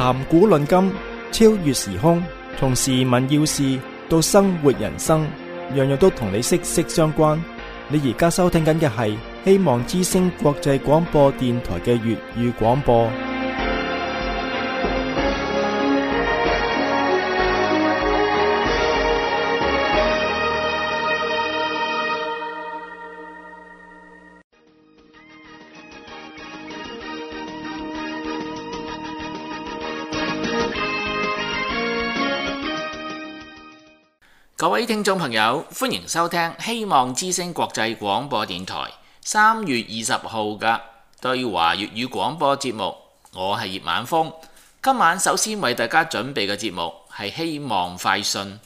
談古論今，超越時空，從時聞要事到生活人生，樣樣都同你息息相關。你而家收聽緊嘅係希望之聲國際廣播電台嘅粵語廣播。各位聽眾朋友，歡迎收聽希望之聲國際廣播電台3月20號嘅對華粵語廣播節目。我係葉晚風，今晚首先為大家準備嘅節目係希望快訊。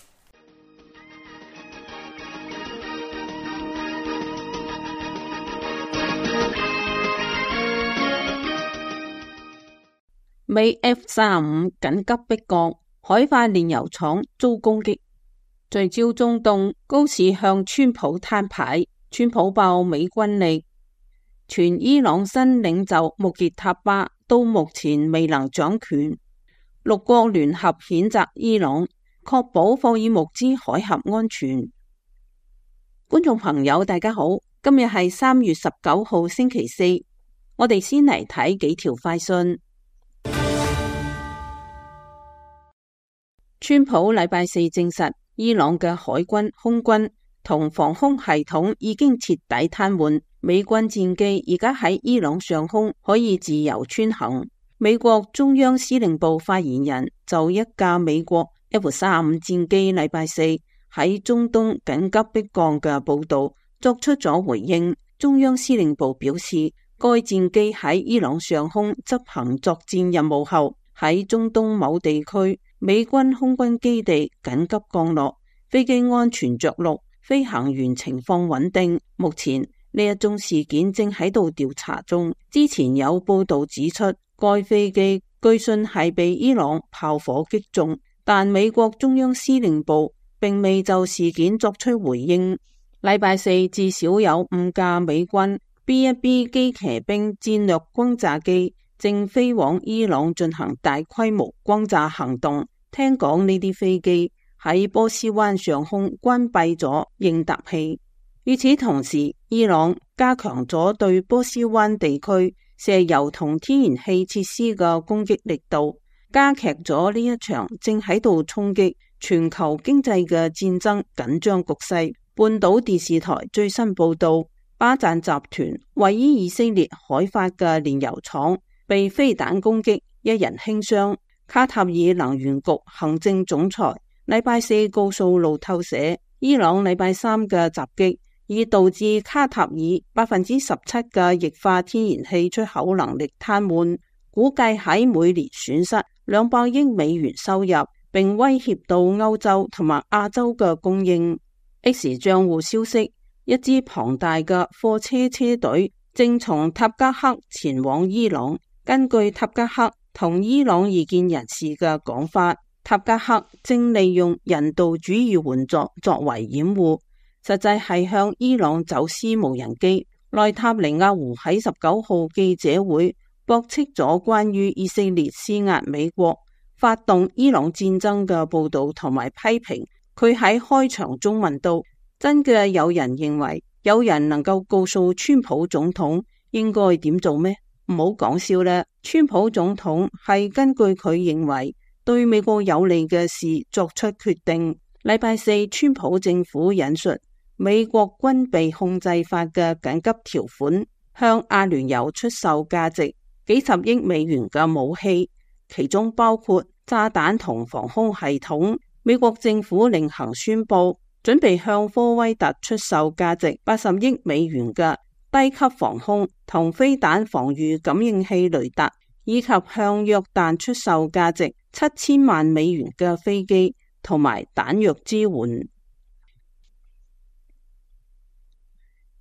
美 F-35緊急迫降，海化煉油廠遭攻擊。聚焦中東，高市向川普攤牌，川普爆美軍力。全伊朗新領袖穆傑塔巴到目前未能掌權。6國聯合譴責伊朗，確保霍爾木茲海峽安全。觀眾朋友大家好，今日係3月19號星期四，我哋先嚟睇幾條快訊。川普禮拜四證實，伊朗嘅海軍、空軍同防空系統已經徹底癱瘓，美軍戰機而家喺伊朗上空可以自由穿行。美國中央司令部發言人就一架美國 F-35戰機禮拜四喺中東緊急迫降嘅報道作出咗回應。中央司令部表示，該戰機喺伊朗上空執行作戰任務後，喺中東某地區美軍空軍基地緊急降落，飛機安全着陸，飛行員情況穩定。目前呢一宗事件正喺度調查中。之前有報道指出，該飛機據信係被伊朗炮火擊中，但美國中央司令部並未就事件作出回應。禮拜四至少有5架美軍 B-1B 機騎兵戰略轟炸機正飛往伊朗進行大規模轟炸行動。聽講呢啲飛機喺波斯灣上空關閉咗應答器。與此同時，伊朗加強咗對波斯灣地區石油同天然氣設施嘅攻擊力度，加劇咗呢一場正喺度衝擊全球經濟嘅戰爭緊張局勢。半島電視台最新報道，巴贊集團位於以色列海法嘅煉油廠被飛彈攻擊，一人輕傷。卡塔爾能源局行政總裁禮拜四告訴路透社，伊朗禮拜三嘅襲擊已導致卡塔爾17%嘅液化天然氣出口能力癱瘓，估計喺每年損失200億美元收入，並威脅到歐洲同埋亞洲嘅供應。X 賬戶消息，一支龐大嘅貨車車隊正從塔吉克前往伊朗。根據塔吉克同伊朗異見人士嘅講法，塔吉克正利用人道主義援助作為掩護，實際係向伊朗走私無人機。內塔尼亞胡喺19號記者會駁斥咗關於以色列施壓美國發動伊朗戰爭嘅報道，同埋批評佢喺開場中問到：真嘅有人認為有人能夠告訴川普總統應該點做咩？唔好講笑啦，川普總統係根據佢認為對美國有利嘅事作出決定。禮拜四，川普政府引述美國軍備控制法嘅緊急條款，向阿聯酋出售價值幾十億美元嘅武器，其中包括炸彈同防空系統。美國政府另行宣布，準備向科威特出售價值80億美元嘅低級防空同飛彈防禦感應器雷達，以及向約旦出售價值7000萬美元嘅飛機同埋彈藥支援。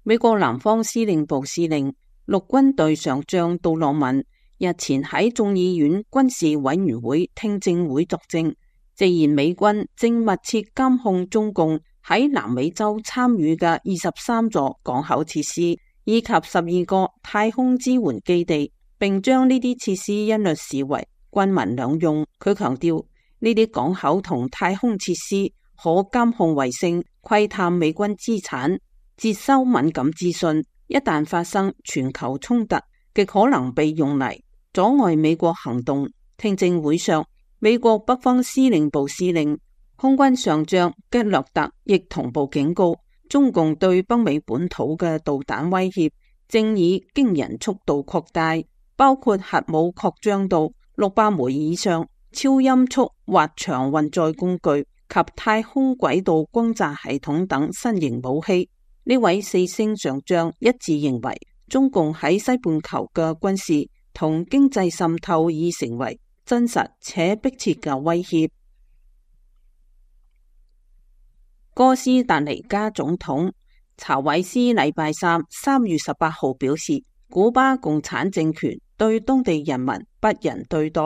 美國南方司令部司令陸軍隊上將杜洛文日前喺眾議院軍事委員會聽證會作證，直言美軍正密切監控中共喺南美洲參與嘅23座港口設施，以及12個太空支援基地，並將呢啲設施一律視為軍民兩用。佢強調呢啲港口同太空設施可監控衛星、窺探美軍資產、接收敏感資訊，一旦發生全球衝突，極可能被用嚟阻礙美國行動。聽證會上，美國北方司令部司令、空軍上將吉勒特亦同步警告，中共對北美本土嘅導彈威脅正以驚人速度擴大，包括核武擴張到600枚以上、超音速滑翔運載工具及太空軌道轟炸系統等新型武器。呢位4星上將一致認為，中共喺西半球嘅軍事同經濟滲透已成為真實且迫切嘅威脅。哥斯達黎加總統查韋斯禮拜三3月18號表示，古巴共產政權對當地人民不仁對待、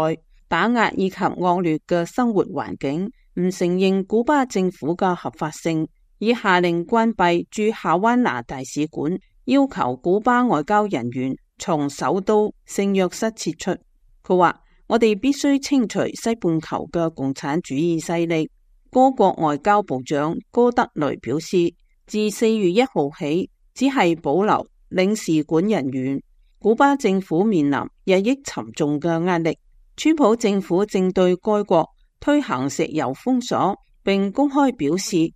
打壓以及惡劣嘅生活環境，唔承認古巴政府嘅合法性，已下令關閉駐夏灣拿大使館，要求古巴外交人員從首都聖約瑟撤出。佢話：我哋必須清除西半球嘅共產主義勢力。哥國外交部長戈德雷表示，自4月1號起，只係保留領事館人員。古巴政府面臨日益沉重嘅壓力，川普政府正對該國推行石油封鎖，並公開表示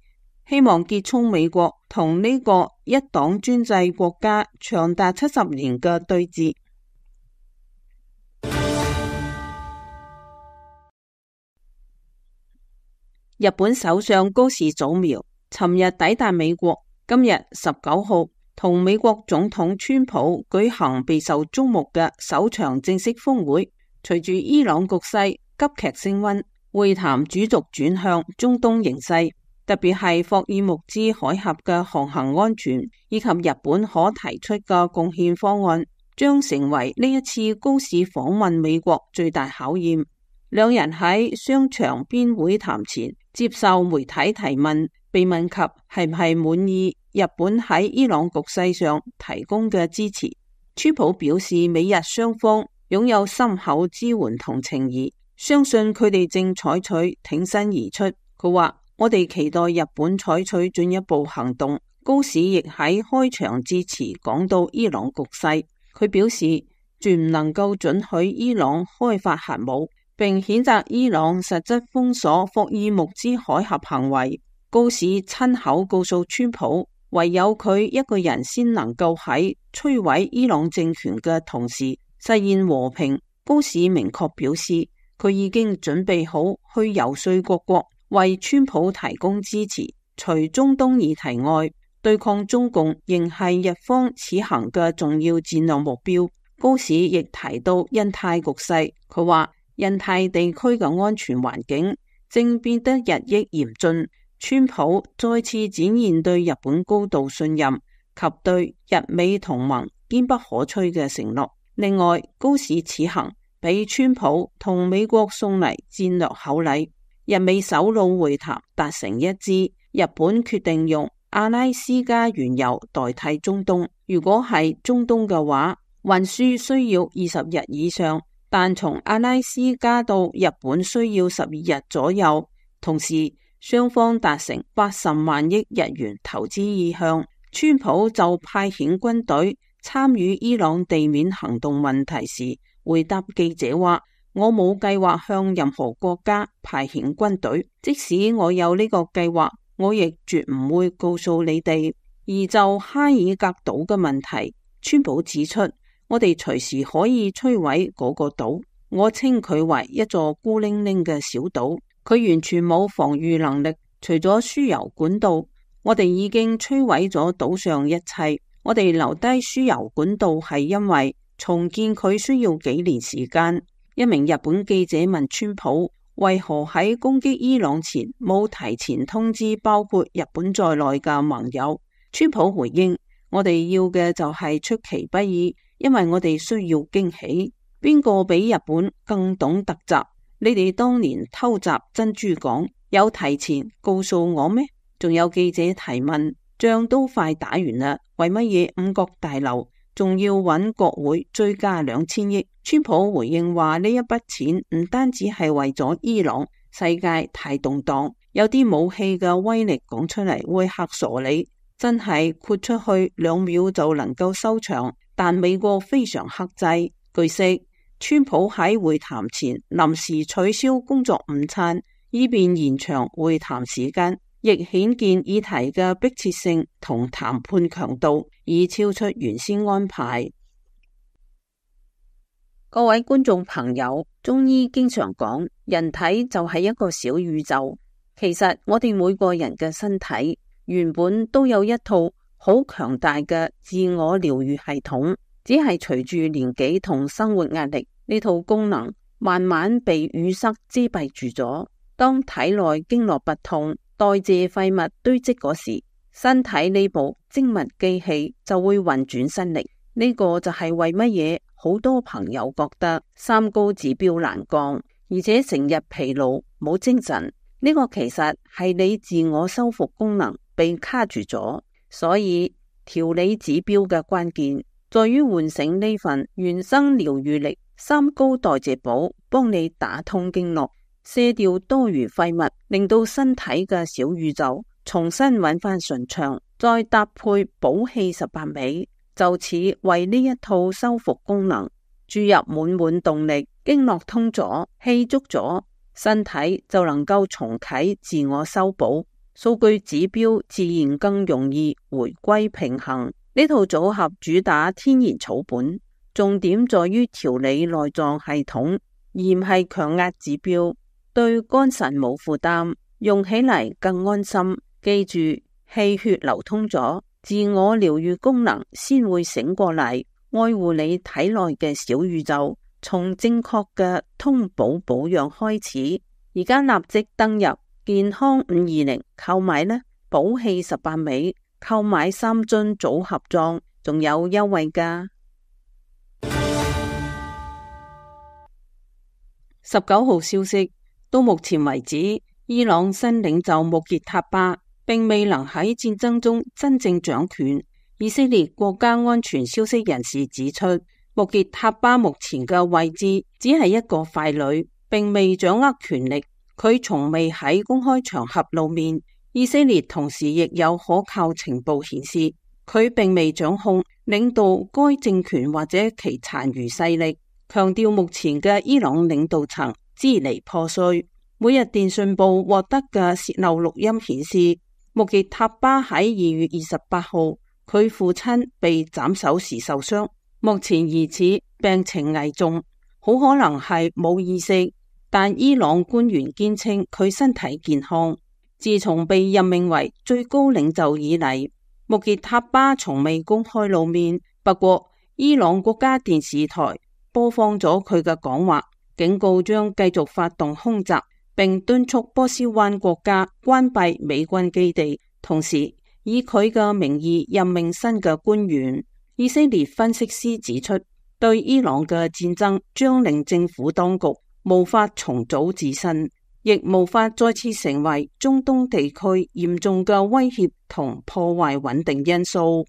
希望結束美國同呢個一黨專制國家長達70年嘅對峙。日本首相高市早苗尋日抵達美國，今日19號同美國總統川普舉行備受矚目嘅首場正式峰會。隨住伊朗局勢急劇升溫，會談主軸轉向中東形勢，特別係霍爾木茲海峽嘅航行安全以及日本可提出嘅貢獻方案，將成為呢一次高市訪問美國最大考驗。兩人喺商場邊會談前接受媒體提問，被問及係唔係滿意日本喺伊朗局勢上提供嘅支持，川普表示美日雙方擁有深厚支援同情誼，相信佢哋正採取挺身而出。佢話：我哋期待日本採取進一步行動。高市亦喺開場致辭講到伊朗局勢，佢表示絕唔能夠准許伊朗開發核武，並譴責伊朗實質封鎖霍爾木茲海峽行為。高市親口告訴川普，唯有佢一個人先能夠喺摧毀伊朗政權嘅同時實現和平。高市明確表示，佢已經準備好去游說各國為川普提供支持。除中東議題外，對抗中共仍係日方此行嘅重要戰略目標。高市亦提到印太局勢，佢話印太地區嘅安全環境正變得日益嚴峻。川普再次展現對日本高度信任及對日美同盟堅不可摧嘅承諾。另外，高市此行俾川普同美國送嚟戰略厚禮，日美首腦會談達成一致，日本決定用阿拉斯加原油代替中東。如果係中東嘅話，運輸需要20日以上，但從阿拉斯加到日本需要12日左右。同時，雙方達成80萬億日元投資意向。川普就派遣軍隊參與伊朗地面行動問題時，回答記者話：我冇計劃向任何國家派遣軍隊，即使我有呢個計劃，我亦絕唔會告訴你哋。而就哈爾格島嘅問題，川普指出，我哋隨時可以摧毀嗰個島，我稱佢為一座孤零零嘅小島，佢完全冇防禦能力。除咗輸油管道，我哋已經摧毀咗島上一切。我哋留低輸油管道係因為重建佢需要幾年時間。一名日本記者問川普，為何喺攻擊伊朗前冇提前通知包括日本在內嘅盟友？川普回應：我哋要嘅就係出其不意，因為我哋需要驚喜。邊個比日本更懂突襲？你哋當年偷襲珍珠港有提前告訴我咩？仲有記者提問，仗都快打完啦，為乜嘢五角大樓仲要揾國會追加2000億。川普回應話呢一筆錢唔單止係為咗伊朗，世界太動盪，有啲武器嘅威力講出嚟會嚇傻你，真係豁出去2秒就能夠收場，但美國非常克制。據悉，川普喺會談前臨時取消工作午餐，以便延長會談時間，亦顯見議題嘅迫切性同談判強度已超出原先安排。各位觀眾朋友，中醫經常講，人體就係一個小宇宙。其實我哋每個人嘅身體原本都有一套好強大嘅自我療愈系統，只係隨住年紀同生活壓力，呢套功能慢慢被淤塞遮蔽住咗。當體內經絡不通，代謝廢物堆積嗰時，身體呢部精密機器就會運轉失力。呢個就係為乜嘢好多朋友覺得三高指標難降，而且成日疲勞冇精神。呢個其實係你自我修復功能被卡住咗。所以調理指標嘅關鍵在於喚醒呢份原生療愈力。三高代謝寶幫你打通經絡，卸掉多餘廢物，令到身體嘅小宇宙重新揾翻順暢，再搭配補氣18味，就此為呢一套修復功能注入滿滿動力。經絡通咗，氣足咗，身體就能夠重啟自我修補，數據指標自然更容易回歸平衡。呢套組合主打天然草本，重點在於調理內臟系統，而唔係強壓指標，對肝腎冇負擔，用起嚟更安心。記住，氣血流通咗，自我療愈功能先會醒過嚟，愛護你體內嘅小宇宙。從正確嘅通補保養開始，而家立即登入健康520購買呢，補氣18味，購買3樽組合裝，仲有優惠㗎。19號消息，到目前為止，伊朗新領袖穆傑塔巴並未能喺戰爭中真正掌權。以色列國家安全消息人士指出，穆傑塔巴目前嘅位置只係一個傀儡，並未掌握權力。佢從未喺公開場合露面。以色列同時亦有可靠情報顯示，佢並未掌控領導該政權或者其殘餘勢力。強調目前嘅伊朗領導層支離破碎。每日電訊報獲得嘅洩漏錄音顯示，穆傑塔巴喺2月28號，佢父親被斬首時受傷，目前疑似病情危重，好可能係冇意識，但伊朗官員堅稱佢身體健康。自從被任命為最高領袖以嚟，穆傑塔巴從未公開露面。不過，伊朗國家電視台播放咗佢嘅講話，警告將繼續發動空襲，並敦促波斯灣國家關閉美軍基地，同時以佢嘅名義任命新嘅官員。以色列分析師指出，對伊朗嘅戰爭將令政府當局無法重組自身，亦無法再次成為中東地區嚴重嘅威脅同破壞穩定因素。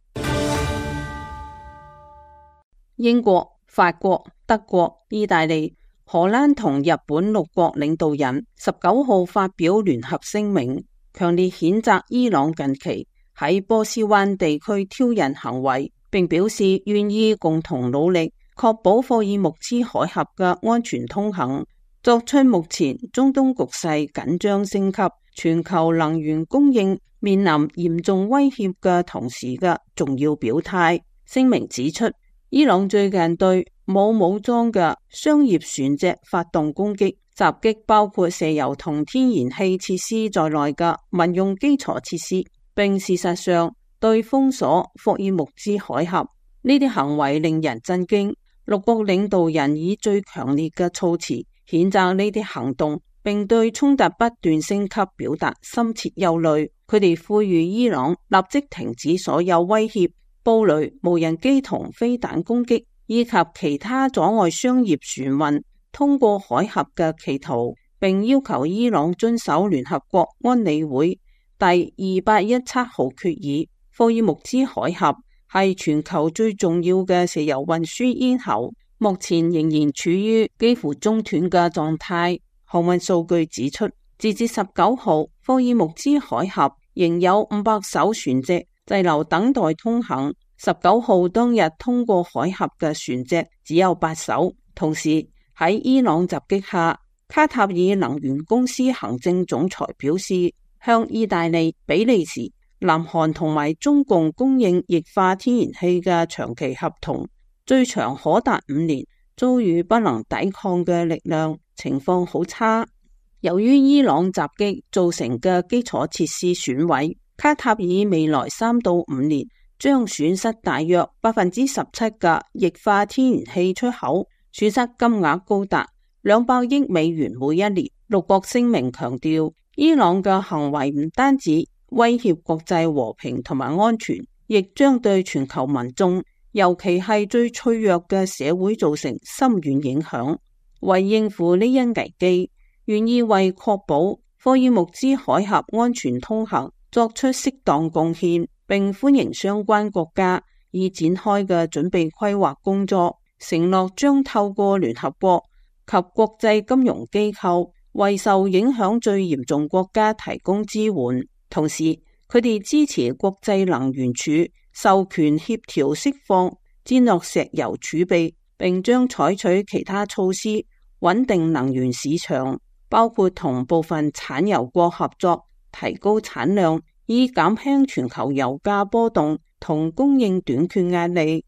英國、法國、德國、意大利、荷蘭同日本6國領導人19號發表聯合聲明，強烈譴責伊朗近期喺波斯灣地區挑釁行為，並表示願意共同努力確保霍爾木茲海峽嘅安全通行，作出目前中東局勢緊張升級、全球能源供應面臨嚴重威脅嘅同時嘅重要表態。聲明指出，伊朗最近對冇武裝嘅商業船隻發動攻擊，襲擊包括石油同天然氣設施在內嘅民用基礎設施，並事實上對封鎖霍爾木茲海峽。呢啲行為令人震驚。6國領導人以最強烈嘅措辭譴責呢啲行動，並對衝突不斷升級表達深切憂慮。佢哋呼籲伊朗立即停止所有威脅、布雷、無人機同飛彈攻擊，以及其他阻礙商業船運通過海峽嘅企圖，並要求伊朗遵守聯合國安理會第2817號決議。霍爾木茲海峽係全球最重要嘅石油運輸咽喉，目前仍然處於幾乎中斷嘅狀態。航運數據指出，截至19號，霍爾木茲海峽仍有500艘船隻滯留等待通行。19號當日通過海峽嘅船隻只有8艘。同時喺伊朗襲擊下，卡塔爾能源公司行政總裁表示，向意大利、比利時、南韓同埋中共供應液化天然氣嘅長期合同，最長可達5年，遭遇不能抵抗嘅力量，情況好差。由於伊朗襲擊造成嘅基礎設施損毀，卡塔爾未來3到5年將損失大約17%嘅液化天然氣出口，損失金額高達200億美元每一年。六國聲明強調，伊朗嘅行為唔單止威脅國際和平同埋安全，亦將對全球民眾，尤其係最脆弱嘅社會造成深遠影響。為應付呢一危機，願意為確保霍爾木茲海峽安全通行作出適當貢獻，並歡迎相關國家已展開嘅準備規劃工作，承諾將透過聯合國及國際金融機構為受影響最嚴重國家提供支援。同時，佢哋支持國際能源署授權協調釋放戰略石油儲備，並將採取其他措施穩定能源市場，包括同部分產油國合作，提高產量，以減輕全球油價波動同供應短缺壓力。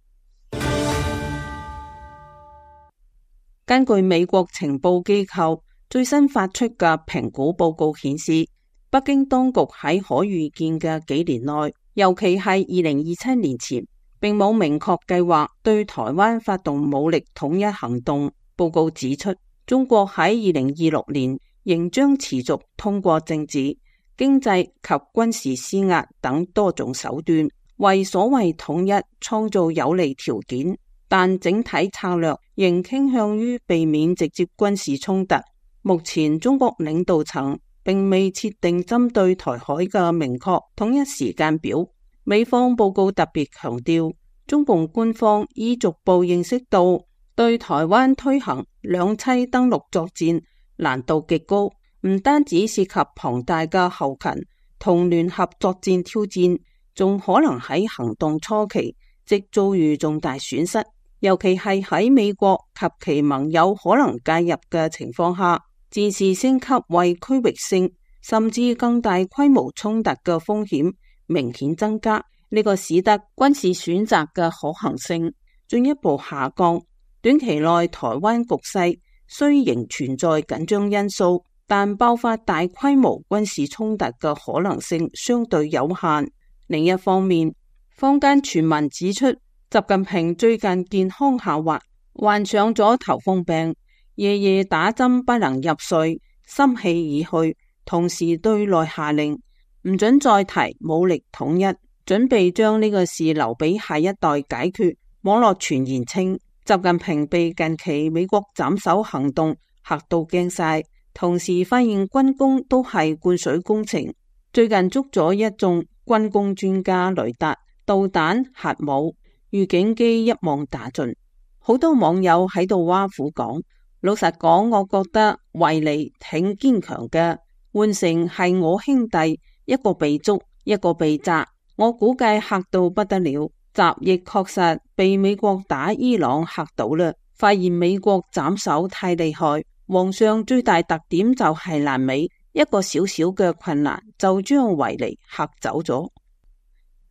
根據美國情報機構最新發出嘅評估報告顯示，北京當局喺可預見嘅幾年內，尤其係2027年前，並冇明確計劃對台灣發動武力統一行動。報告指出，中國喺2026年仍將持續通過政治、經濟及軍事施壓等多種手段，為所謂統一創造有利條件，但整體策略仍傾向於避免直接軍事衝突。目前中國領導層並未設定針對台海嘅明確統一時間表。美方報告特別強調，中共官方已逐步認識到對台灣推行兩棲登陸作戰難度極高，唔單止涉及龐大嘅後勤同聯合作戰挑戰，仲可能喺行動初期即遭遇重大損失，尤其係喺美國及其盟友可能介入嘅情況下，戰事升級為區域性甚至更大規模衝突嘅風險明顯增加。呢個使得軍事選擇嘅可行性進一步下降。短期內台灣局勢雖仍存在緊張因素，但爆發大規模軍事衝突嘅可能性相對有限。另一方面，坊間傳聞指出，習近平最近健康下滑，患上咗頭風病，夜夜打針不能入睡，心氣已去，同時對內下令唔准再提武力統一，準備將呢個事留俾下一代解決。網絡傳言稱，習近平被近期美國斬首行動嚇到驚晒，同時發現軍工都係灌水工程。最近捉咗一眾軍工專家，雷達、導彈、核武、預警機一網打盡。好多網友喺度挖苦講，老實講，我覺得維尼挺堅強嘅，換成係我兄弟，一個被捉，一個被炸，我估計嚇到不得了。習亦確實被美國打伊朗嚇到啦，發現美國斬首太厲害，皇上最大特點就係爛尾，一個小小嘅困難就將維尼嚇走咗。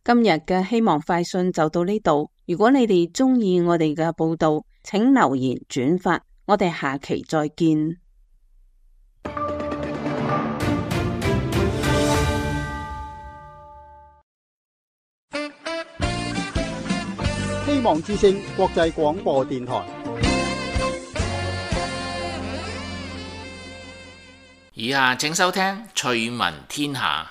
今日嘅希望快訊就到呢度，如果你哋中意我哋嘅報道，請留言轉發，我哋下期再見。希望之聲國際廣播電台。以下請收聽趣聞天下。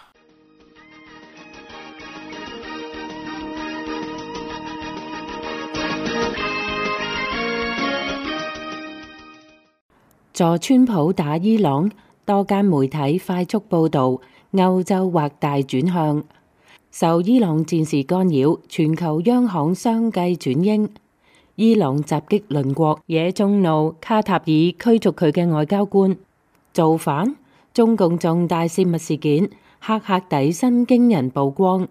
助川普打伊朗，多間媒體快速報道歐洲或大轉向。受伊朗戰事干擾，全球央行相繼轉鷹。伊朗襲擊鄰國，惹眾怒，卡塔爾驅逐佢嘅外交官。造反？中共重大泄密事件，黑客底薪驚人曝光。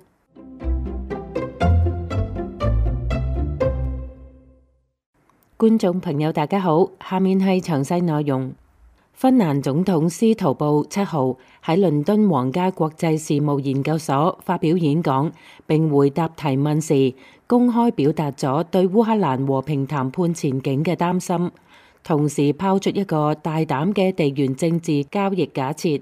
觀眾朋友大家好，下面係詳細內容。芬蘭總統司徒布7號喺倫敦皇家國際事務研究所發表演講，並回答提問時，公開表達咗對烏克蘭和平談判前景嘅擔心，同時拋出一個大膽嘅地緣政治交易假設：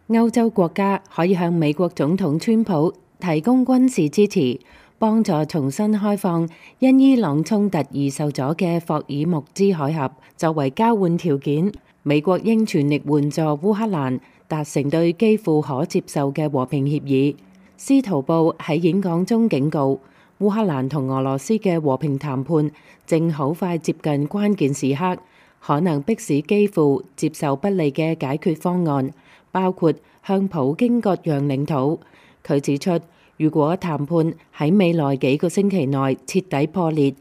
歐洲國家可以向美國總統川普提供軍事支持，幫助重新開放因伊朗衝突而受阻嘅霍爾木茲海峽。作為交換條件，美國應全力援助烏克蘭達成對基輔可接受嘅和平協議。司徒布喺演講中警告，烏克蘭同俄羅斯嘅和平談判正好快接近關鍵時刻，可能迫使基輔接受不利嘅解決方案，包括向普京割讓領土。佢指出，如果談判喺未來幾個星期內徹底破裂，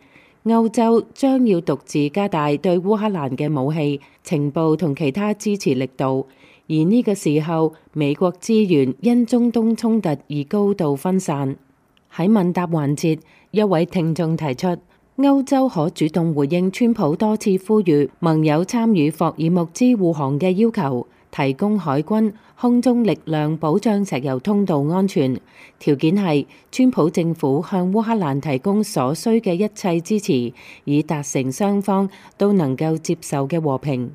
歐洲將要獨自加大對烏克蘭嘅武器、情報同其他支持力度，而呢個時候美國資源因中東衝突而高度分散。喺問答環節，一位聽眾提出，歐洲可主動回應川普多次呼籲盟友參與霍爾木茲護航嘅要求，提供海軍、空中力量保障石油通道安全，條件係川普政府向烏克蘭提供所需嘅一切支持，以達成雙方都能夠接受嘅和平。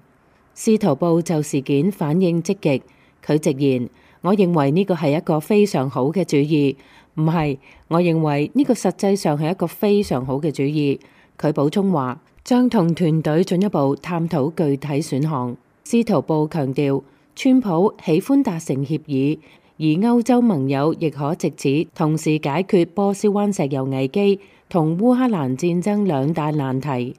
司徒布就事件反應積極，佢直言：我認為呢個係一個非常好嘅主意。唔係，我認為呢個實際上係一個非常好嘅主意。佢補充話，將同團隊進一步探討具體選項。司徒布強調，川普喜歡達成協議，而歐洲盟友亦可藉此同時解決波斯灣石油危機同烏克蘭戰爭兩大難題。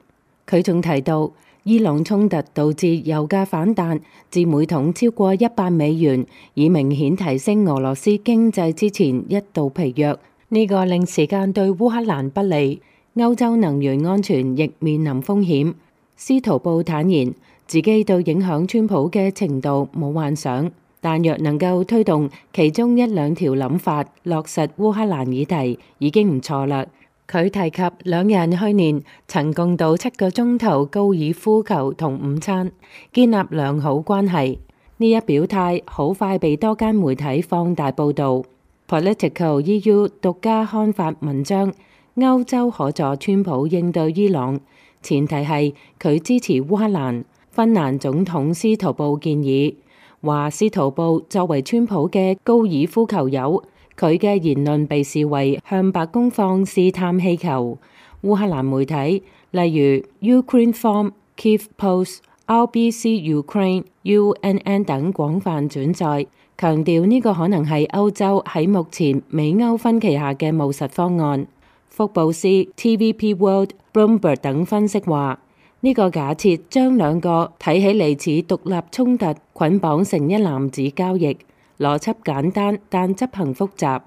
佢仲提到，伊朗衝突導致油價反彈至每桶超過$100，以明顯提升俄羅斯經濟之前一度疲弱。呢個令時間對烏克蘭不利，歐洲能源安全亦面臨風險。司徒布坦言，自己對影響川普嘅程度冇幻想，但若能夠推動其中一兩條諗法落實烏克蘭議題，已經唔錯啦。佢提及兩人去年曾共度7個鐘頭高爾夫球同午餐，建立良好關係。呢一表態好快被多間媒體放大報導。Political EU 獨家刊發文章，歐洲可助川普應對伊朗，前提係佢支持烏克蘭。芬蘭總統司徒布建議，話司徒布作為川普嘅高爾夫球友，佢嘅言論被視為向白宮放試探氣球。烏克蘭媒體例如 Ukraine Forum、Kyiv Post、RBC Ukraine、UNN 等廣泛轉載，強調呢個可能係歐洲喺目前美歐分歧下嘅務實方案。福布斯、TVP World、Bloomberg 等分析話，呢個假設將兩個睇起嚟似獨立衝突捆綁成一籃子交易，邏輯簡單但執行複雜。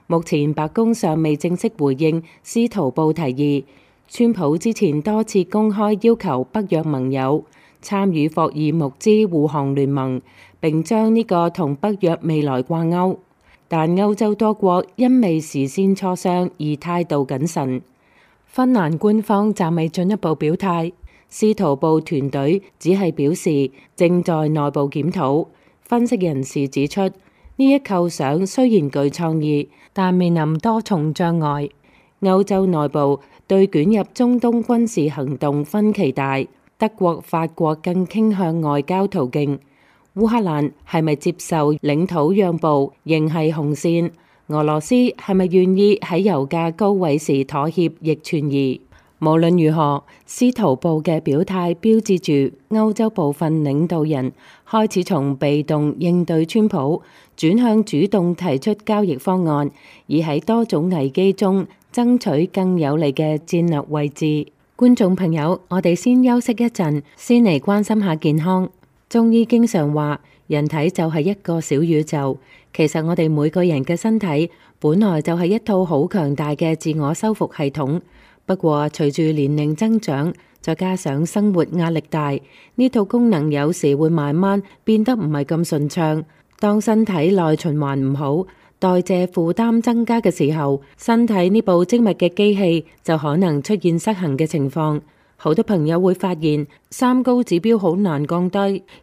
目前白宮尚未正式回應司徒布提議。川普之前多次公開要求北約盟友參與霍爾木茲護航聯盟，並將呢個同北約未來掛鈎。但歐洲多國因未事先磋商而態度謹慎。芬蘭官方暫未進一步表態。司徒布團隊只係表示正在內部檢討。分析人士指出，呢一構想雖然具創意，但面臨多重障礙。歐洲內部對捲入中東軍事行動分歧大，德國、法國更傾向外交途徑。烏克蘭係咪接受領土讓步，仍係紅線。俄羅斯係咪願意喺油價高位時妥協，亦存疑。無論如何，司徒布嘅表態標誌住歐洲部分領導人開始從被動應對川普，轉向主動提出交易方案，以喺多種危機中爭取更有利嘅戰略位置。觀眾朋友，我哋先休息一陣，先嚟關心下健康。中醫經常話，人體就係一個小宇宙。其實我哋每個人嘅身體本來就係一套好強大嘅自我修復系統。不過隨住年齡增長，再加上生活壓力大，呢套功能有時會慢慢變得唔係咁順暢。當身體內循環唔好，代謝負擔增加嘅時候，身體呢部精密嘅機器就可能出現失衡嘅情況。好多朋友會發現三高指標好難降低，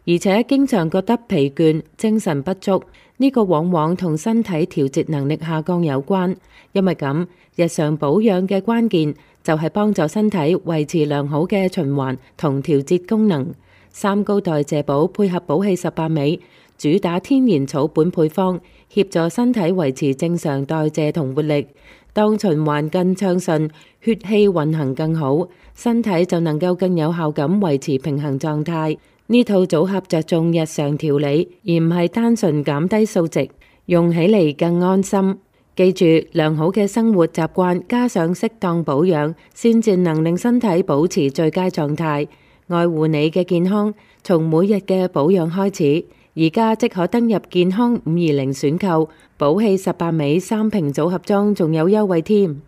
而且經常覺得疲倦、精神不足。呢個往往同身體調節能力下降有關。因為咁，日常保養嘅關鍵就係幫助身體維持良好嘅循環同調節功能。三高代謝寶配合寶氣18味，主打天然草本配方，協助身體維持正常代謝同活力。當循環更暢順，血氣運行更好，身體就能夠更有效咁維持平衡狀態。呢套組合着重日常調理，而唔係單純減低數值，用起嚟更安心。記住，良好嘅生活習慣加上適當保養，先至能令身體保持最佳狀態。愛護你嘅健康，從每日嘅保養開始。而家即可登入健康520選購，寶氣18味3瓶組合裝仲有優惠添。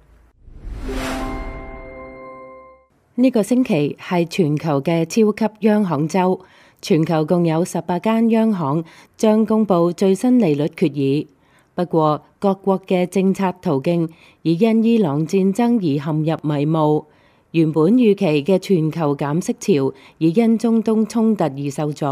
呢個星期係全球嘅超級央行週，全球共有18間央行將公布最新利率決議。不過，各國嘅政策途徑已因伊朗戰爭而陷入迷霧。原本預期嘅全球減息潮，已因中東衝突而受阻。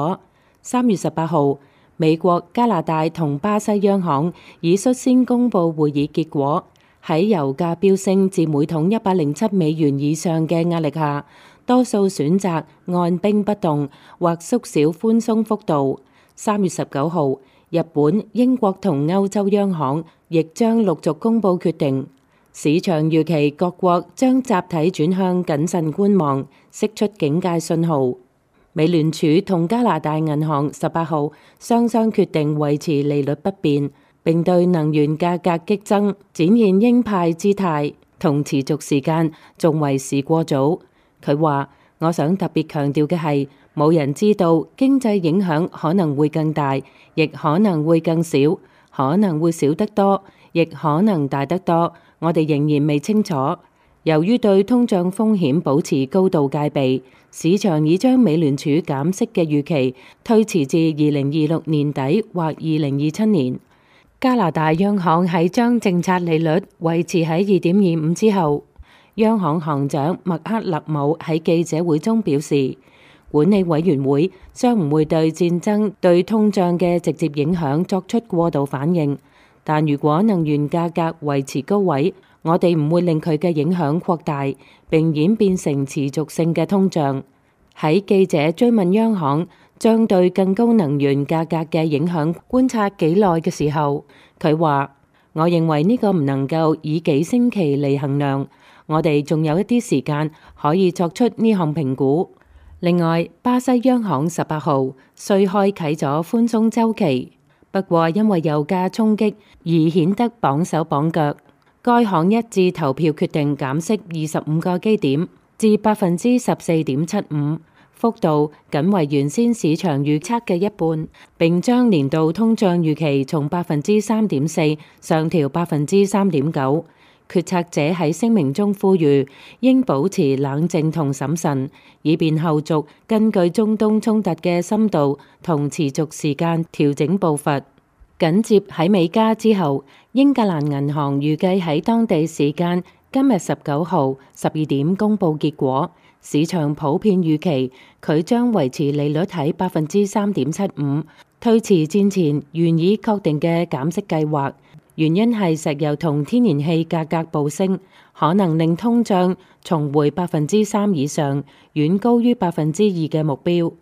3月18號，美國、加拿大同巴西央行已率先公布會議結果。喺油價飆升至每桶107美元以上嘅壓力下，多數選擇按兵不動或縮小寬鬆幅度。3月19號，日本、英國同歐洲央行亦將陸續公布決定。市場預期各國將集體轉向謹慎觀望，釋出警戒信號。美聯儲同加拿大銀行18號雙雙決定維持利率不變，並對能源價格激增展現鷹派姿態，同持續時間仲為時過早。佢話：我想特別強調嘅係，冇人知道經濟影響可能會更大，亦可能會更少，可能會少得多，亦可能大得多。我哋仍然未清楚。由於對通脹風險保持高度戒備，市場已將美聯儲減息嘅預期推遲至2026年底或2027年。加拿大央行喺將政策利率維持喺2.25之後，央行行長麥克勒姆喺記者會中表示，管理委員會將唔會對戰爭對通脹嘅直接影響作出過度反應，但如果能源價格維持高位，我哋唔會令佢嘅影響擴大並演變成持續性嘅通脹。喺記者追問央行將對更高能源價格嘅影響觀察幾耐嘅時候，佢話：我認為呢個唔能夠以幾星期嚟衡量，我哋仲有一啲時間可以作出呢項評估。另外，巴西央行18號雖開啟咗寬鬆週期，不過因為油價衝擊而顯得綁手綁腳。該行一致投票決定減息25個基點至14.75%，幅度僅為原先市場預測嘅一半，並將年度通脹預期從3.4%上調3.9%。決策者喺聲明中呼籲應保持冷靜同審慎，以便後續根據中東衝突嘅深度同持續時間調整步伐。緊接喺美加之後，英格蘭銀行預計喺當地時間今日19號12點公佈結果，市場普遍預期佢將維持利率喺3.75%，推遲戰前原已確定嘅減息計劃。原因係石油同天然氣價格暴升，可能令通脹重回3%以上，遠高於2%嘅目標。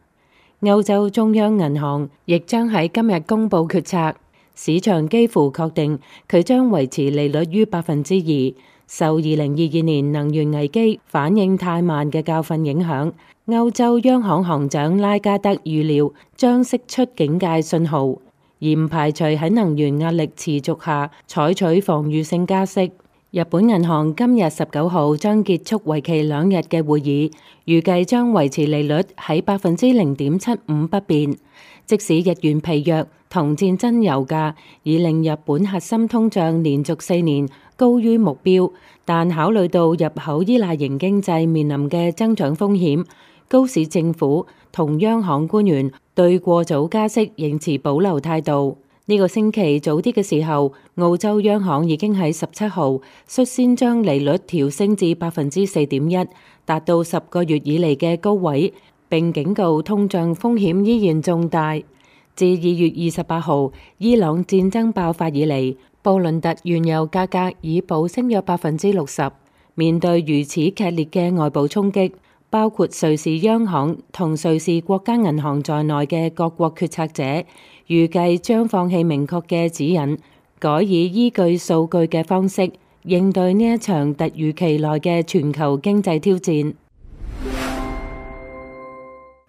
歐洲中央銀行亦將喺今日公佈決策。市場幾乎確定佢將維持利率於2%，受2022年能源危機反應太慢嘅教訓影響。歐洲央行行長拉加德預料將釋出警戒信號，而唔排除喺能源壓力持續下採取防禦性加息。日本銀行今日19號將結束為期2日嘅會議，預計將維持利率喺0.75%不變。即使日元疲弱同戰爭油價，已令日本核心通脹連續4年高於目標。但考慮到入口依賴型經濟面臨嘅增長風險，高市政府同央行官員對過早加息仍持保留態度。呢個星期早啲嘅時候，澳洲央行已經喺17號率先將利率調升至4.1%，達到10個月以嚟嘅高位，並警告通脹風險依然重大。自2月28號伊朗戰爭爆發以嚟，布倫特原油價格已暴升約60%。面對如此劇烈嘅外部衝擊，包括瑞士央行同瑞士國家銀行在內嘅各國決策者預計將放棄明確嘅指引，改以依據數據嘅方式應對呢一場突如其來嘅全球經濟挑戰。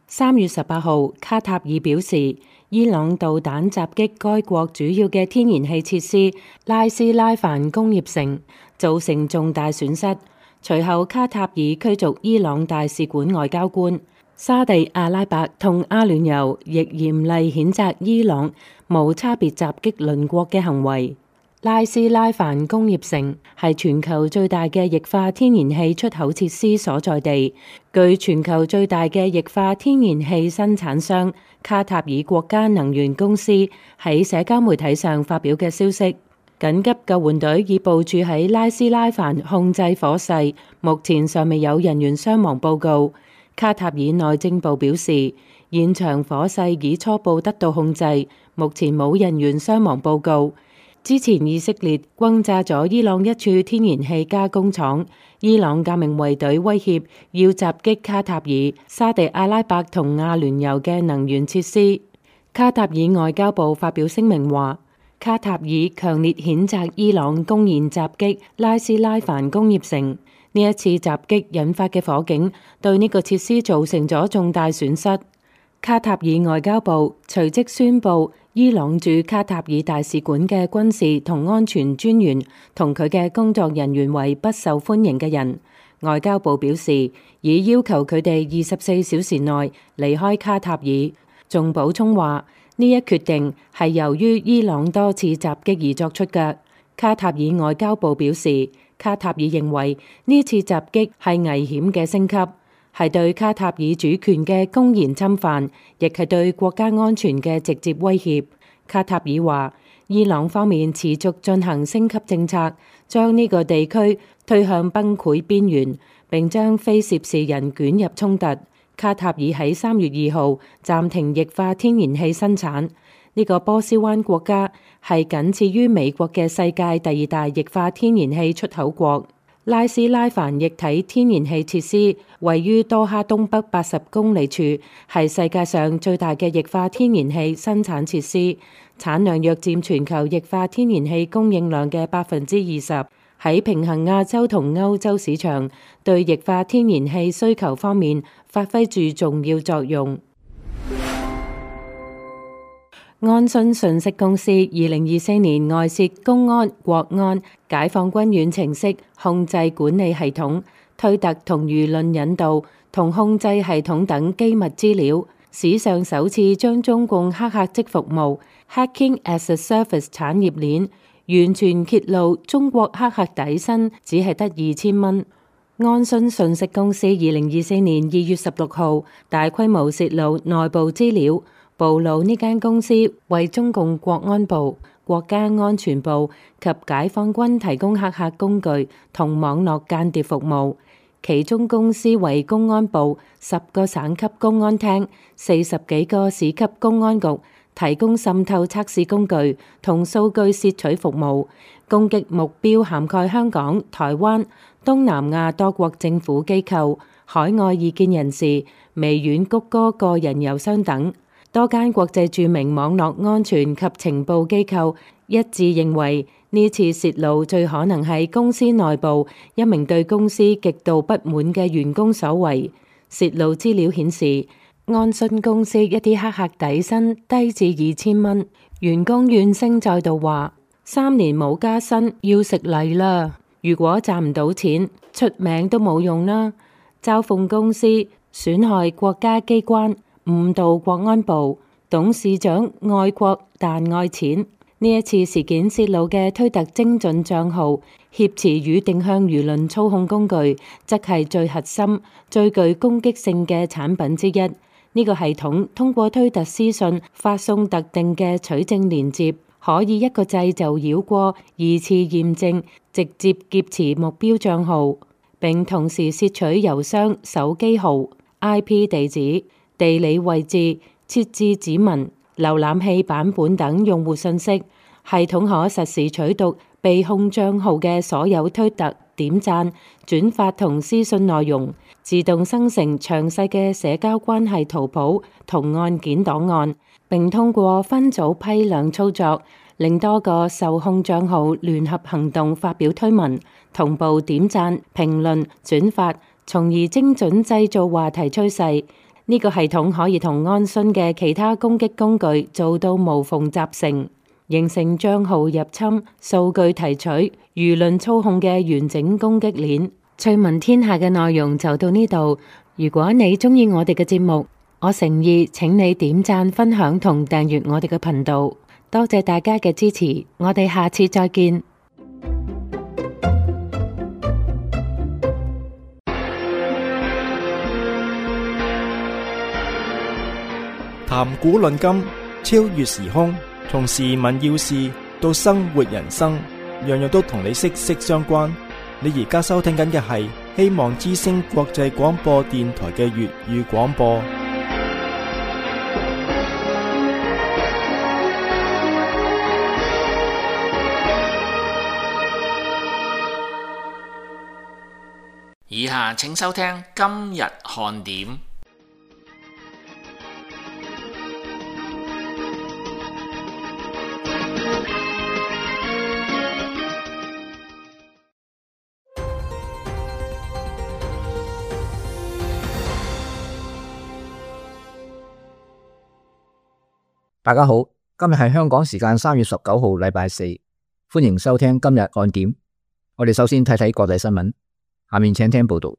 3月18號，卡塔爾表示，伊朗導彈襲擊該國主要嘅天然氣設施拉斯拉凡工業城，造成重大損失。隨後，卡塔爾驅逐伊朗大使館外交官。沙地阿拉伯同阿聯酋亦嚴厲譴責伊朗無差別襲擊鄰國嘅行為。拉斯拉凡工業城係全球最大嘅液化天然氣出口設施所在地，據全球最大嘅液化天然氣生產商卡塔爾國家能源公司喺社交媒體上發表嘅消息。緊急救援隊已部署喺拉斯拉凡控制火勢，目前尚未有人員傷亡報告。卡塔爾內政部表示，現場火勢已初步得到控制，目前冇人員傷亡報告。之前以色列轟炸咗伊朗一處天然氣加工廠，伊朗革命衛隊威脅要襲擊卡塔爾、沙地阿拉伯同阿聯酋嘅能源設施。卡塔爾外交部發表聲明話，卡塔爾強烈譴責伊朗公然襲擊拉斯拉凡工業城。呢一次襲擊引發嘅火警對呢個設施造成咗重大損失。卡塔爾外交部隨即宣布，伊朗駐卡塔爾大使館嘅軍事同安全專員同佢嘅工作人員為不受歡迎嘅人。外交部表示，已要求佢哋24小時內離開卡塔爾。仲補充話，呢一決定係由於伊朗多次襲擊而作出嘅。卡塔爾外交部表示，卡塔爾認為呢次襲擊係危險嘅升級，係對卡塔爾主權嘅公然侵犯，亦係對國家安全嘅直接威脅。卡塔爾話，伊朗方面持續進行升級政策，將呢個地區推向崩潰邊緣，並將非涉事人捲入衝突。卡塔爾喺3月2號暫停液化天然氣生產。呢個波斯灣國家係僅次於美國嘅世界第2大液化天然氣出口國。拉斯拉凡液體天然氣設施位於多哈東北80公里處，係世界上最大嘅液化天然氣生產設施，產量約佔全球液化天然氣供應量嘅20%。喺平衡亞洲同歐洲市場，對液化天然氣需求方面發揮住重要作用。安信信息公司2024年外泄公安、國安、解放軍遠程式控制管理系統、推特同輿論引導同控制系統等機密資料，史上首次將中共黑客即服務 Hacking as a Service 產業鏈完全揭露。中國黑客底薪只係得2000蚊。安信信息公司2024年2月16號大規模泄露內部資料，暴露呢間公司為中共國安部、國家安全部及解放軍提供黑客工具同網絡間諜服務。其中公司為公安部10個省級公安廳、40幾個市級公安局提供滲透測試工具同數據竊取服務，攻擊目標涵蓋香港、台灣、東南亞多國政府機構、海外異見人士、微軟谷歌個人郵箱等。多間國際著名網絡安全及情報機構一致認為，呢次泄露最可能係公司內部一名對公司極度不滿嘅員工所為。泄露資料顯示，安信公司一啲黑客底薪低至2000蚊，員工怨聲載道話：3年冇加薪，要食泥啦！如果賺唔到錢，出名都冇用啦！嘲諷公司，損害國家機關，誤導國安部，董事長愛國但愛錢。呢一次事件泄露嘅推特精準帳號挾持與定向輿論操控工具，則係最核心、最具攻擊性嘅產品之一。呢個系統通過推特私信發送特定嘅取證連接，可以一個掣就繞過二次驗證，直接劫持目標帳號，並同時竊取郵箱、手機號、IP 地址、地理位置、設置指紋、瀏覽器版本等用戶信息。系統可實時取讀被控帳號嘅所有推特、點讚、轉發同私信內容，自動生成詳細嘅社交關係圖譜同案件檔案，並通過分組批量操作，令多個受控帳號聯合行動，發表推文、同步點讚、評論、轉發，從而精準製造話題趨勢。呢個系統可以同安洵嘅其他攻擊工具做到無縫集成，形成帳號入侵、數據提取、輿論操控嘅完整攻擊鏈。趣聞天下嘅內容就到呢度。如果你鍾意我哋嘅節目，我誠意請你點讚、分享同訂閱我哋嘅頻道。多謝大家嘅支持，我哋下次再見。談古論今，超越時空，從時聞要事到生活人生，樣樣都同你息息相關。你而家收聽緊嘅係希望之聲國際廣播電台嘅粵語廣播。以下請收聽今日看點。大家好，今日係香港時間3月19號禮拜四，歡迎收聽今日看點。我哋首先睇睇國際新聞，下面請聽報道。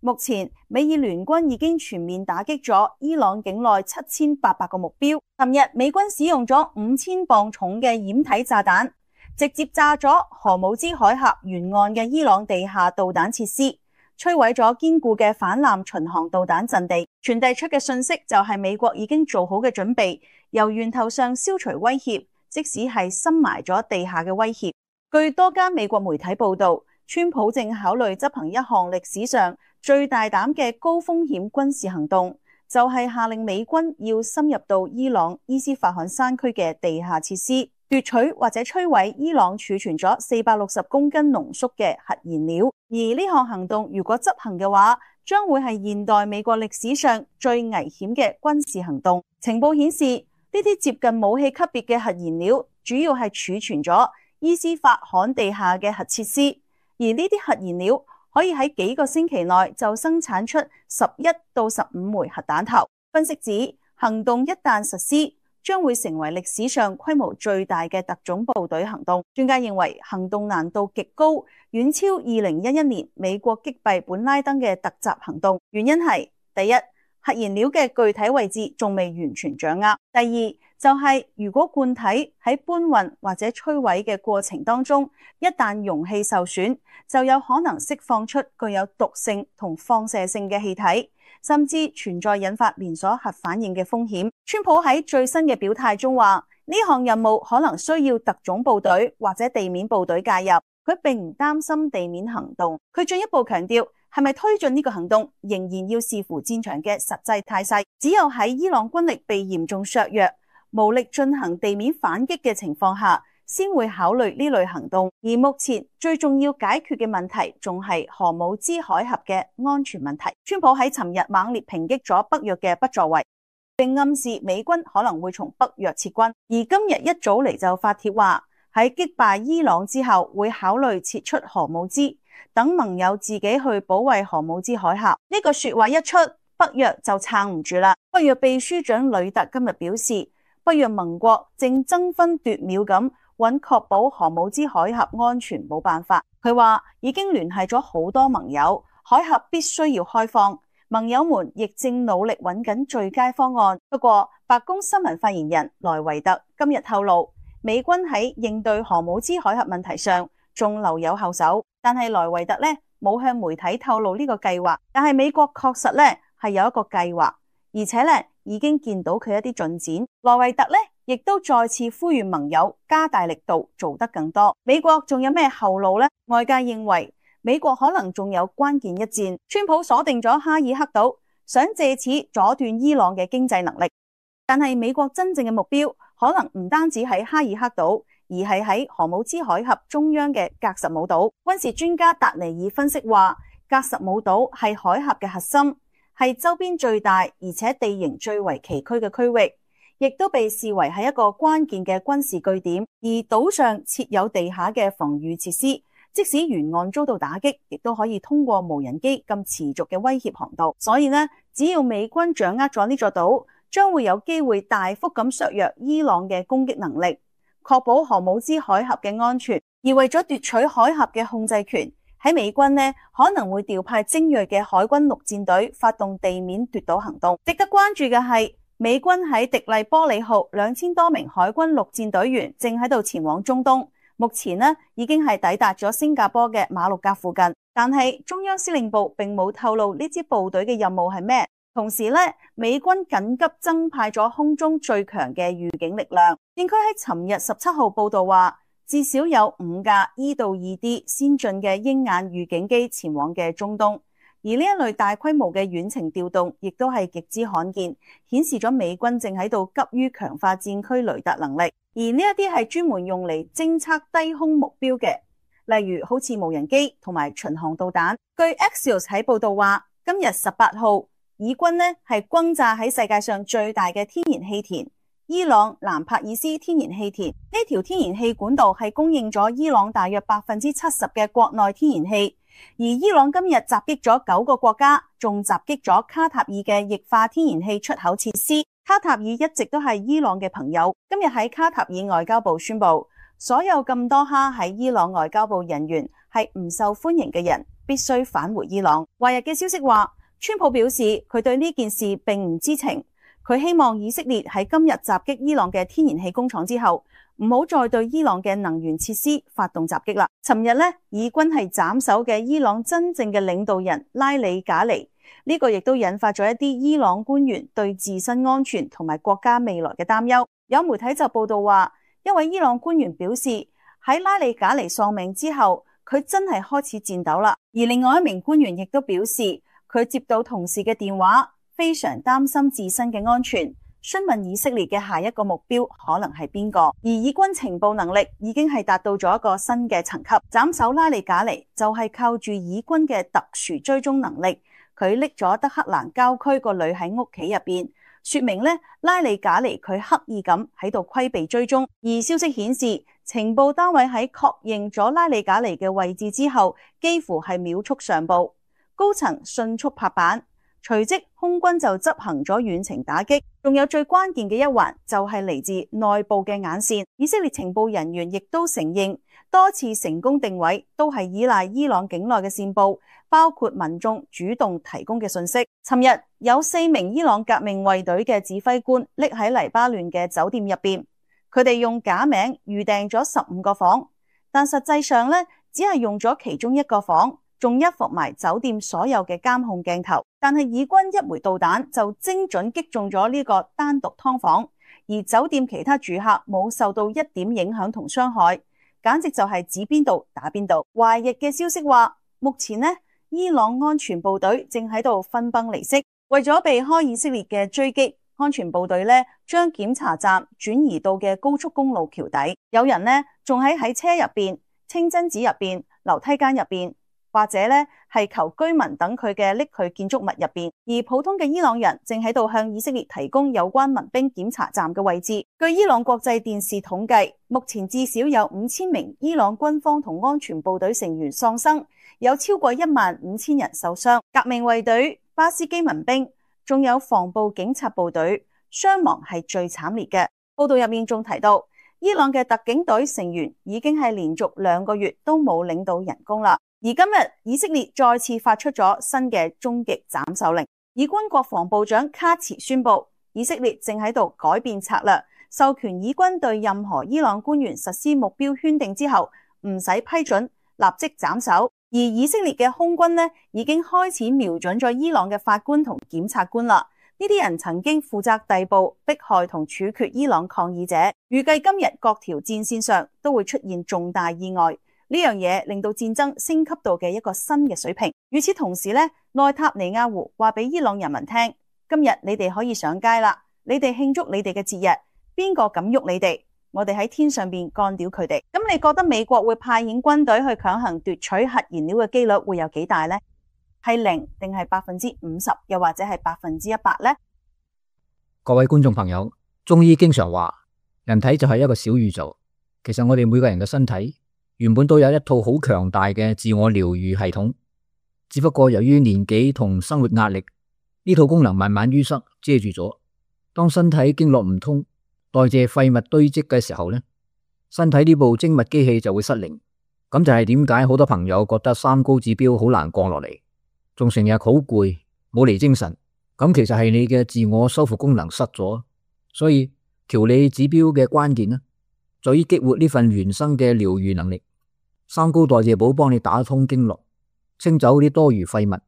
目前美以聯軍已經全面打擊咗伊朗境內7800個目標。尋日美軍使用咗5000磅重嘅掩體炸彈，直接炸咗荷姆茲海峽沿岸嘅伊朗地下導彈設施，摧毀咗堅固嘅反艦巡航導彈陣地。傳遞出嘅信息就係美國已經做好嘅準備，由源頭上消除威脅，即使係深埋咗地下嘅威脅。據多間美國媒體報道，川普正考慮執行一項歷史上最大膽嘅高風險軍事行動，就係下令美軍要深入到伊朗伊斯法罕山區嘅地下設施，奪取或者摧毀伊朗儲存咗460公斤濃縮嘅核燃料。而呢項行動如果執行嘅話，將會係現代美國歷史上最危險嘅軍事行動。情報顯示，呢啲接近武器級別嘅核燃料主要係儲存咗伊斯法罕地下嘅核設施，而呢啲核燃料可以喺幾個星期內就生產出11到15枚核彈頭。分析指，行動一旦實施，將會成為歷史上規模最大嘅特種部隊行動。專家認為行動難度極高，遠超2011年美國擊斃本拉登嘅突襲行動。原因係第一，核燃料嘅具體位置仲未完全掌握；第二，就係如果罐體喺搬運或者摧毀嘅過程當中，一旦容器受損，就有可能釋放出具有毒性同放射性嘅氣體，甚至存在引發連鎖核反應嘅風險。川普喺最新嘅表態中話，呢項任務可能需要特種部隊或者地面部隊介入，佢並唔擔心地面行動。佢進一步強調，係咪推進呢個行動仍然要視乎戰場嘅實際態勢，只有喺伊朗軍力被嚴重削弱、無力進行地面反擊嘅情況下，先會考慮呢類行動。而目前最重要解決嘅問題仲係荷姆茲海峽嘅安全問題。川普喺尋日猛烈抨擊咗北約嘅不作為，並暗示美軍可能會從北約撤軍。而今日一早嚟就發帖話，喺擊敗伊朗之後會考慮撤出荷姆茲，等盟友自己去保衛荷姆茲海峽。呢個說話一出，北約就撐唔住啦。北約秘書長呂特今日表示，北約盟國正爭分奪秒咁揾確保荷姆茲海峽安全冇辦法。佢話已經聯繫咗好多盟友，海峽必須要開放，盟友們亦正努力揾緊最佳方案。不過，白宮新聞發言人萊維特今日透露，美軍喺應對荷姆茲海峽問題上仲留有後手，但係萊維特咧冇向媒體透露呢個計劃。但係美國確實咧係有一個計劃，而且咧已經見到佢一啲進展。萊維特咧亦都再次呼籲盟友加大力度做得更多。美國仲有咩後路呢？外界認為美國可能仲有關鍵一戰。川普鎖定咗哈爾克島，想借此阻斷伊朗嘅經濟能力。但係美國真正嘅目標可能唔單止喺哈爾克島，而係喺荷姆茲海峽中央嘅格什姆島。軍事專家達尼爾分析話，格什姆島係海峽嘅核心，係周邊最大而且地形最為崎嶇嘅區域，亦都被視為係一個關鍵嘅軍事據點。而島上設有地下嘅防禦設施，即使沿岸遭到打擊，亦都可以通過無人機咁持續嘅威脅航道。所以呢，只要美軍掌握咗呢座島，將會有機會大幅咁削弱伊朗嘅攻擊能力，確保荷姆茲海峽嘅安全。而為咗奪取海峽嘅控制權，喺美軍呢可能會調派精銳嘅海軍陸戰隊發動地面奪島行動。值得關注嘅係，美軍喺迪麗波里號2000多名海軍陸戰隊員正喺度前往中東，目前呢已經係抵達咗新加坡嘅馬六甲附近。但係中央司令部並冇透露呢支部隊嘅任務係咩。同時咧，美軍緊急增派咗空中最強嘅預警力量。戰區喺尋日17號報道話，至少有5架 E-2D 先進嘅鷹眼預警機前往嘅中東。而呢一類大規模嘅遠程調動，亦都係極之罕見，顯示咗美軍正喺度急於強化戰區雷達能力。而呢一啲係專門用嚟偵測低空目標嘅，例如好似無人機同埋巡航導彈。據 Axios 喺報道話，今日18號，以軍呢係轟炸喺世界上最大嘅天然氣田伊朗蘭帕爾斯天然氣田。呢條天然氣管道係供應咗伊朗大約70%嘅國內天然氣。而伊朗今日襲擊咗9個國家，仲襲擊咗卡塔爾嘅液化天然氣出口設施。卡塔爾一直都係伊朗嘅朋友。今日喺卡塔爾外交部宣布，所有咁多哈喺伊朗外交部人員係唔受歡迎嘅人，必須返回伊朗。華日嘅消息話，川普表示佢對呢件事並唔知情，佢希望以色列喺今日襲擊伊朗嘅天然氣工廠之後，唔好再對伊朗嘅能源設施發動襲擊啦。尋日呢，以軍係斬首嘅伊朗真正嘅領導人拉里賈尼，呢個亦都引發咗一啲伊朗官員對自身安全同埋國家未來嘅擔憂。有媒體就報道話，一位伊朗官員表示喺拉里賈尼喪命之後，佢真係開始顫抖啦。而另外一名官員亦都表示，佢接到同事嘅電話，非常擔心自身嘅安全，詢問以色列嘅下一個目標可能係邊個。而以軍情報能力已經係達到咗一個新嘅層級，斬首拉里賈尼就係靠住以軍嘅特殊追蹤能力，佢匿咗德黑蘭郊區個女喺屋企入邊，說明呢，拉里賈尼佢刻意咁喺度規避追蹤。而消息顯示，情報單位喺確認咗拉里賈尼嘅位置之後，幾乎係秒速上報。高層迅速拍板，隨即空軍就執行咗遠程打擊。仲有最關鍵嘅一環就係嚟自內部嘅眼線。以色列情報人員亦都承認，多次成功定位都係依賴伊朗境內嘅線報，包括民眾主動提供嘅信息。尋日有4名伊朗革命衛隊嘅指揮官匿喺黎巴嫩嘅酒店入邊，佢哋用假名預訂咗15個房，但實際上呢，只係用咗其中1個房。仲一伏埋酒店所有嘅監控鏡頭，但係以軍一枚導彈就精準擊中咗呢個單獨劏房，而酒店其他住客冇受到一點影響同傷害，簡直就係指邊度打邊度。華日嘅消息話，目前呢，伊朗安全部隊正喺度分崩離析，為咗避開以色列嘅追擊，安全部隊呢將檢查站轉移到嘅高速公路橋底，有人呢仲喺車入邊、清真寺入邊、樓梯間入邊，或者咧係求居民等佢嘅匿去建築物入邊，而普通嘅伊朗人正喺度向以色列提供有關民兵檢查站嘅位置。據伊朗國際電視統計，目前至少有5000名伊朗軍方同安全部隊成員喪生，有超過15000人受傷。革命衛隊、巴斯基民兵，仲有防暴警察部隊，傷亡係最慘烈嘅。報道入面仲提到，伊朗嘅特警隊成員已經係連續2個月都冇領到人工啦。而今日以色列再次發出咗新嘅終極斬首令。以軍國防部長卡茨宣布，以色列正喺度改變策略，授權以軍對任何伊朗官員實施目標圈定之後，唔使批准，立即斬首。而以色列嘅空軍呢，已經開始瞄準咗伊朗嘅法官同檢察官啦。呢啲人曾經負責逮捕、迫害同處決伊朗抗議者。預計今日各條戰線上都會出現重大意外，呢樣嘢令到戰爭升級到嘅一個新嘅水平。與此同時呢，內塔尼亞胡話俾伊朗人民聽，今日你哋可以上街啦，你哋慶祝你哋嘅節日，邊個敢喐你哋？我哋喺天上邊幹掉佢哋。咁你覺得美國會派遣軍隊去強行奪取核燃料嘅機率會有幾大呢？係0定係50%，又或者係100%呢？各位觀眾朋友，中醫經常話人體就係一個小宇宙。其實我哋每個人嘅身體原本都有一套好強大嘅自我療愈系統，只不過由於年紀同生活壓力，呢套功能慢慢淤塞遮住咗。當身體經絡唔通，代謝廢物堆積嘅時候呢，身體呢部精密機器就會失靈。咁就係點解好多朋友覺得三高指標好難降落嚟，仲成日好攰，冇嚟精神。咁其實係你嘅自我修復功能失咗。所以調理指標嘅關鍵呢，在於激活呢份原生嘅療愈能力。三高代謝寶幫你打通經絡，清走啲多餘廢物，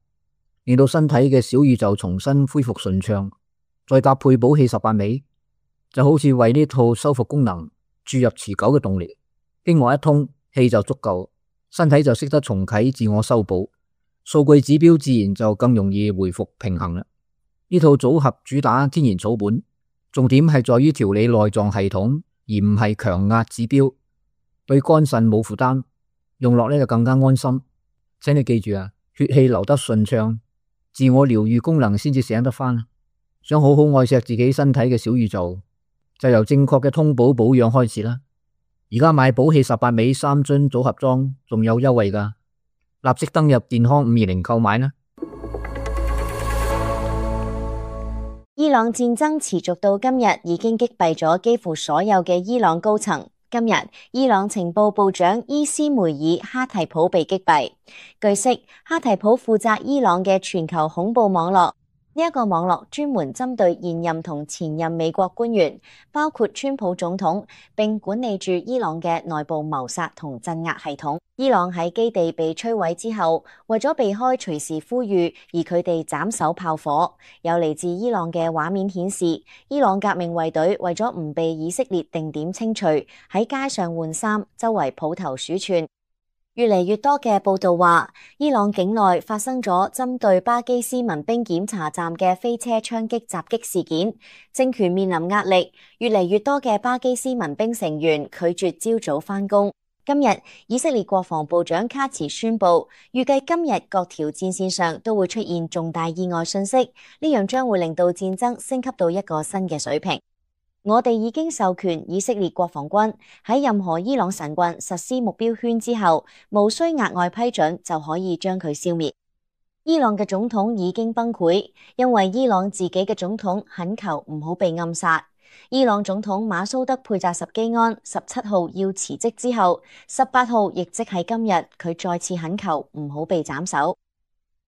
令到身體嘅小宇宙重新恢復順暢。再搭配補氣18味，就好似為呢套修復功能注入持久嘅動力。經絡一通，氣就足夠，身體就識得重啟自我修補，數據指標自然就更容易回復平衡啦。呢套組合主打天然草本，重點係在於調理內臟系統，而唔係強壓指標，對肝腎冇負擔，用落呢就更加安心。請你記住啊，血氣流得順暢，自我療愈功能先至醒得返。想好好愛錫自己身體嘅小宇宙，就由正確嘅通補保養開始啦。而家買補氣18味3樽組合裝仲有優惠㗎，立即登入健康520購買啦。伊朗戰爭持續到今日，已經擊斃咗幾乎所有嘅伊朗高層。今日，伊朗情報部長伊斯梅爾哈提普被擊斃。據悉，哈提普負責伊朗嘅全球恐怖網絡。呢一個網絡專門針對現任同前任美國官員，包括川普總統，並管理住伊朗嘅內部謀殺同鎮壓系統。伊朗喺基地被摧毀之後，為咗避開隨時呼籲，而佢哋斬首炮火。有嚟自伊朗嘅畫面顯示，伊朗革命衛隊為咗唔被以色列定點清除，喺街上換衫，周圍抱頭鼠竄。越嚟越多嘅報道話，伊朗境內發生咗針對巴基斯民兵檢查站嘅飛車槍擊襲擊事件，政權面臨壓力。越嚟越多嘅巴基斯民兵成員拒絕朝早返工。今日，以色列國防部長卡茨宣布，預計今日各條戰線上都會出現重大意外信息，呢樣將會令到戰爭升級到一個新嘅水平。我哋已經授權以色列國防軍喺任何伊朗神棍實施目標圈之後，無需額外批准就可以將佢消滅。伊朗嘅總統已經崩潰，因為伊朗自己嘅總統懇求唔好被暗殺。伊朗總統馬蘇德佩扎什基安17號要辭職之後，18號亦即係今日，佢再次懇求唔好被斬首。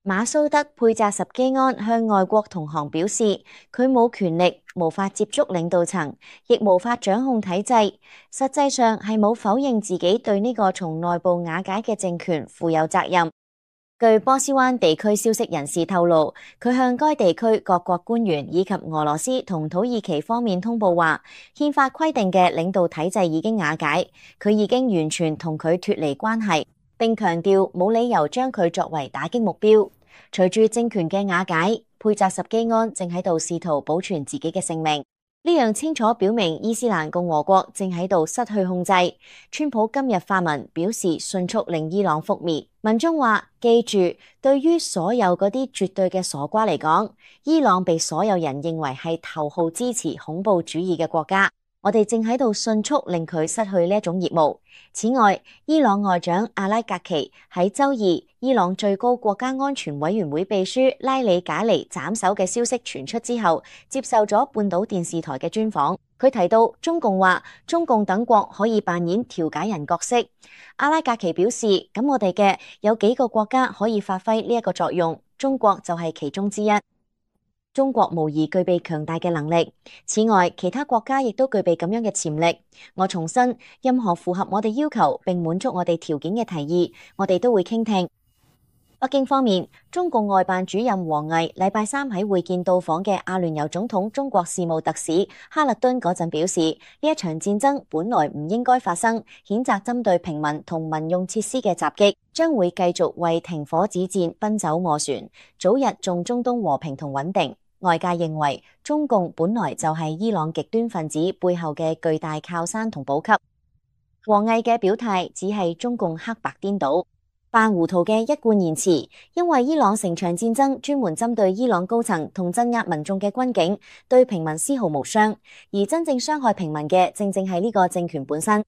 馬蘇德佩扎什基安向外國同行表示，佢冇權力，無法接觸領導層，亦無法掌控體制。實際上係冇否認自己對呢個從內部瓦解嘅政權負有責任。據波斯灣地區消息人士透露，佢向該地區各國官員以及俄羅斯同土耳其方面通報話，憲法規定嘅領導體制已經瓦解，佢已經完全同佢脫離關係。並強調冇理由將佢作為打擊目標。隨住政權嘅瓦解，佩扎什基安正喺度試圖保存自己嘅性命。呢樣清楚表明伊斯蘭共和國正喺度失去控制。川普今日發文表示，迅速令伊朗覆滅。文中話：記住，對於所有嗰啲絕對嘅傻瓜嚟講，伊朗被所有人認為係頭號支持恐怖主義嘅國家。我哋正喺度迅速令佢失去呢一種業務。此外，伊朗外長阿拉格奇喺周二，伊朗最高國家安全委員會秘書拉里賈尼斬首嘅消息傳出之後，接受咗半島電視台嘅專訪。佢提到中共話，中共等國可以扮演調解人角色。阿拉格奇表示，咁我哋嘅有幾個國家可以發揮呢一個作用，中國就係其中之一。中國無疑具備強大嘅能力。此外，其他國家亦都具備咁樣嘅潛力。我重申，任何符合我哋要求並滿足我哋條件嘅提議，我哋都會傾聽。北京方面，中共外辦主任王毅禮拜三喺會見到訪嘅阿聯酋總統中國事務特使哈勒敦嗰陣表示，呢一場戰爭本來唔應該發生，譴責針對平民同民用設施嘅襲擊，將會繼續為停火止戰奔走磨船，早日重中東和平同穩定。外界認為，中共本來就係伊朗極端分子背後嘅巨大靠山同補給。王毅嘅表態只係中共黑白顛倒、扮糊塗嘅一貫言辭，因為伊朗成場戰爭專門針對伊朗高層同鎮壓民眾嘅軍警，對平民絲毫無傷，而真正傷害平民嘅正正係呢個政權本身。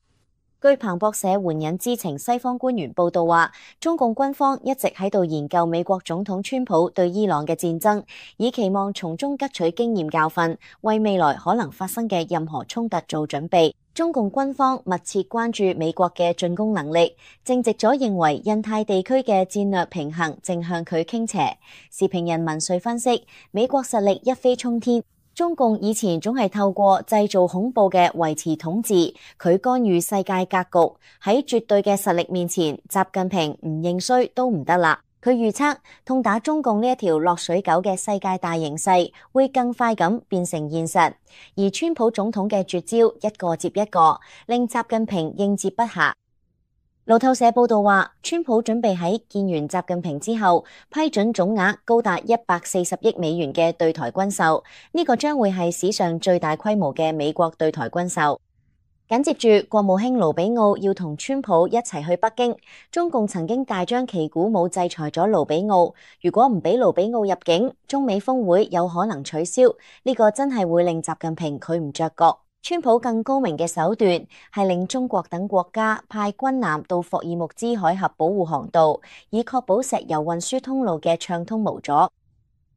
據彭博社援引知情西方官員報道話，中共軍方一直喺度研究美國總統川普對伊朗嘅戰爭，以期望從中汲取經驗教訓，為未來可能發生嘅任何衝突做準備。中共軍方密切關注美國嘅進攻能力，正直咗認為印太地區嘅戰略平衡正向佢傾斜。時評人文瑞分析，美國實力一飛沖天。中共以前總係透過製造恐怖嘅維持統治，佢干預世界格局。喺絕對嘅實力面前，習近平唔認衰都唔得啦。佢預測痛打中共呢一條落水狗嘅世界大形勢會更快咁變成現實，而川普總統嘅絕招一個接一個，令習近平應接不暇。路透社報道話，川普準備喺見完習近平之後，批准總額高達140億美元嘅對台軍售，呢個將會係史上最大規模嘅美國對台軍售。緊接住，國務卿盧比奧要同川普一齊去北京，中共曾經大張旗鼓舞制裁咗盧比奧，如果唔俾盧比奧入境，中美峰會有可能取消，呢個真係會令習近平佢唔着覺。川普更高明嘅手段係令中國等國家派軍艦到霍爾木茲海峽保護航道，以確保石油運輸通路嘅暢通無阻。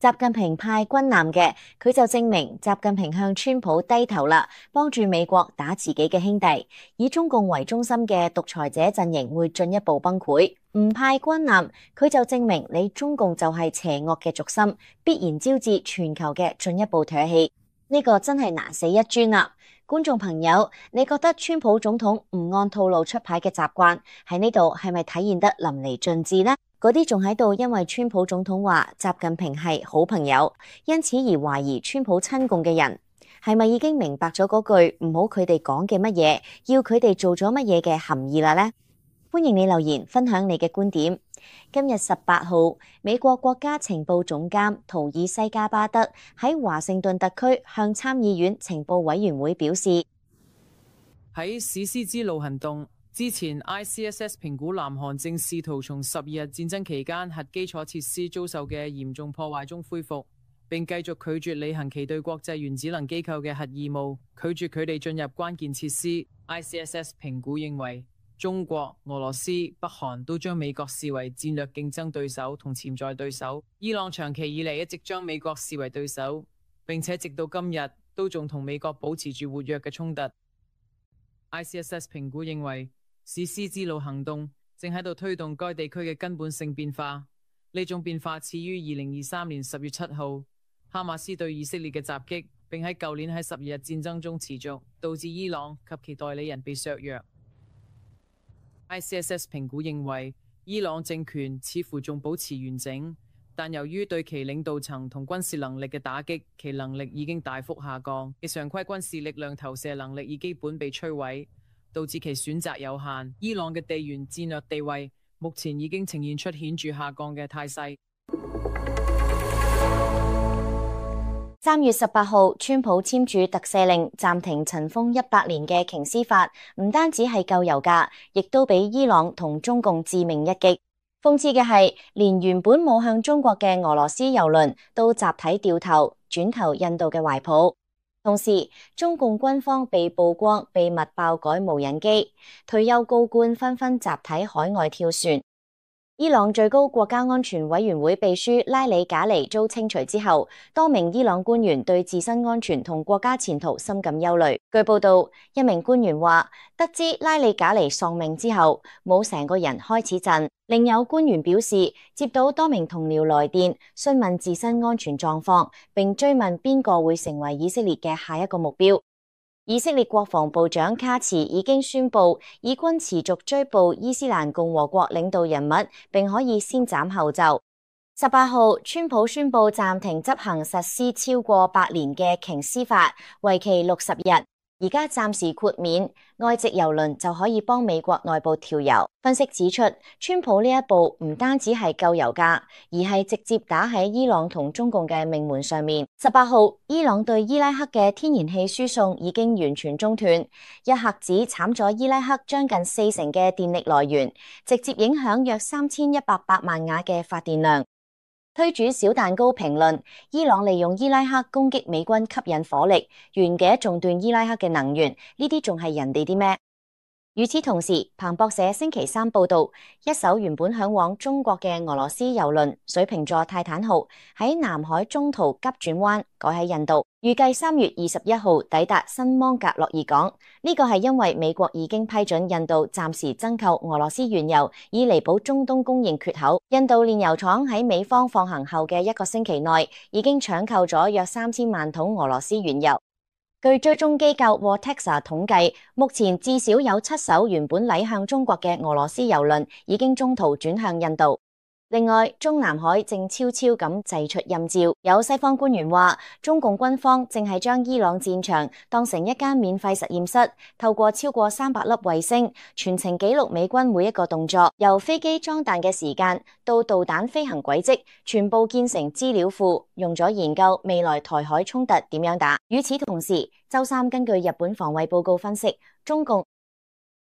習近平派軍艦嘅，佢就證明習近平向川普低頭啦，幫住美國打自己嘅兄弟。以中共為中心嘅獨裁者陣營會進一步崩潰。唔派軍艦，佢就證明你中共就係邪惡嘅軸心，必然招致全球嘅進一步唾棄。呢個真係難死一尊啦！觀眾朋友，你覺得川普總統唔按套路出牌嘅習慣喺呢度係咪體現得淋漓盡致呢？嗰啲仲喺度因為川普總統話習近平係好朋友，因此而懷疑川普親共嘅人，係咪已經明白咗嗰句唔好佢哋講嘅乜嘢，要佢哋做咗乜嘢嘅含義啦呢？歡迎你留言分享你嘅觀點。今日18號，美國國家情報總監圖爾西加巴德喺華盛頓特區向參議院情報委員會表示，喺史詩之路行動之前 ，ICSS 評估南韓正試圖從12日戰爭期間核基礎設施遭受嘅嚴重破壞中恢復，並繼續拒絕履行其對國際原子能機構嘅核義務，拒絕佢哋進入關鍵設施。ICSS 評估認為，中國、俄羅斯、北韓都將美國視為戰略競爭對手同潛在對手。伊朗長期以嚟一直將美國視為對手，並且直到今日都仲同美國保持住活躍嘅衝突。ICSS 評估認為，史詩之路行動正喺度推動該地區嘅根本性變化。呢種變化始於2023年10月7號，哈馬斯對以色列嘅襲擊，並喺舊年喺12日戰爭中持續，導致伊朗及其代理人被削弱。ICSS 評估認為，伊朗政權似乎仲保持完整，但由於對其領導層同軍事能力嘅打擊，其能力已經大幅下降，其常規軍事力量投射能力已基本被摧毀，導致其選擇有限。伊朗嘅地緣戰略地位目前已經呈現出顯著下降嘅態勢。3月18號，川普簽署特赦令，暫停塵封100年嘅瓊斯法，唔單止係救油價，亦都俾伊朗同中共致命一擊。諷刺嘅係，連原本冇向中國嘅俄羅斯油輪都集體掉頭，轉投印度嘅懷抱。同時，中共軍方被曝光秘密爆改無人機，退休高官紛紛集體海外跳船。伊朗最高國家安全委員會秘書拉里賈尼遭清除之後，多名伊朗官員對自身安全同國家前途深感憂慮。據報道，一名官員話，得知拉里賈尼喪命之後，冇成個人開始震。另有官員表示，接到多名同僚來電，詢問自身安全狀況，並追問邊個會成為以色列嘅下一個目標。以色列國防部長卡茨已經宣布，以軍持續追捕伊斯蘭共和國領導人物，並可以先斬後奏。18號，川普宣布暫停執行實施超過8年嘅瓊斯法，為期60日。而家暫時豁免外籍郵輪就可以幫美國內部調油。分析指出，川普呢一步唔單止係救油價，而係直接打喺伊朗同中共嘅命門上面。18號，伊朗對伊拉克嘅天然氣輸送已經完全中斷，一核子慘咗伊拉克將近40%嘅電力來源，直接影響約3100萬瓦嘅發電量。推主小蛋糕評論，伊朗利用伊拉克攻擊美軍吸引火力，原嘅仲斷伊拉克嘅能源，呢啲仲係人哋啲咩？與此同時，彭博社星期三報道，一艘原本向往中國嘅俄羅斯郵輪水瓶座泰坦號喺南海中途急轉彎，改喺印度，預計3月21號抵達新芒格洛爾港。呢個係因為美國已經批准印度暫時增購俄羅斯原油，以彌補中東供應缺口。印度煉油廠喺美方放行後嘅1個星期內，已經搶購咗約3000萬桶俄羅斯原油。據追蹤機構 Vortexa 統計，目前至少有7艘原本駛向中國嘅俄羅斯郵輪已經中途轉向印度。另外，中南海正悄悄咁祭出陰招，有西方官員話，中共軍方正係將伊朗戰場當成一間免費實驗室，透過超過300粒衛星，全程記錄美軍每一個動作，由飛機裝彈嘅時間到導彈飛行軌跡，全部建成資料庫，用咗研究未來台海衝突點樣打。與此同時，周三根據日本防衛報告分析，